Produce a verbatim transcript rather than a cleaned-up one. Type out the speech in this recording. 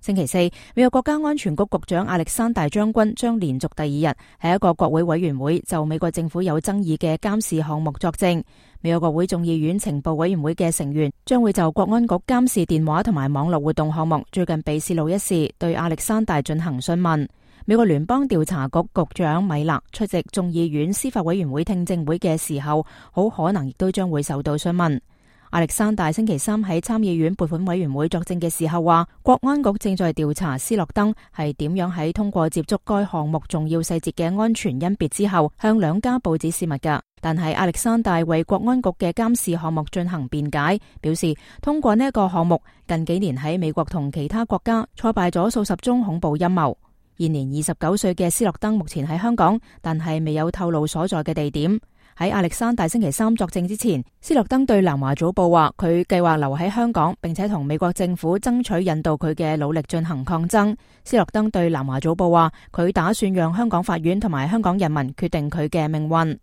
星期四，美國國家安全局局長亞歷山大將軍將連續第二日喺一個國會委員會就美國政府有爭議嘅監視項目作證。美國國會眾議院情報委員會嘅成員將會就國安局監視電話同埋網絡活動項目最近被洩露一事，對亞歷山大進行詢問。美國聯邦調查局局長米勒出席眾議院司法委員會聽證會嘅時候，好可能亦都將會受到詢問。亞歷山大星期三喺參議院撥款委員會作證嘅時候話，國安局正在調查斯諾登係點樣喺通過接觸該項目重要細節嘅安全甄別之後，向兩家報紙泄密㗎。但係亞歷山大為國安局嘅監視項目進行辯解，表示通過呢一個項目，近幾年喺美國同其他國家挫敗咗數十宗恐怖陰謀。現年二十九歲嘅斯諾登目前喺香港，但係未有透露所在嘅地點。喺亞歷山大星期三作證之前，斯諾登對南華早報話佢計劃留喺香港，並且同美國政府爭取引導佢嘅努力進行抗爭。斯諾登對南華早報話佢打算讓香港法院同埋香港人民決定佢嘅命運。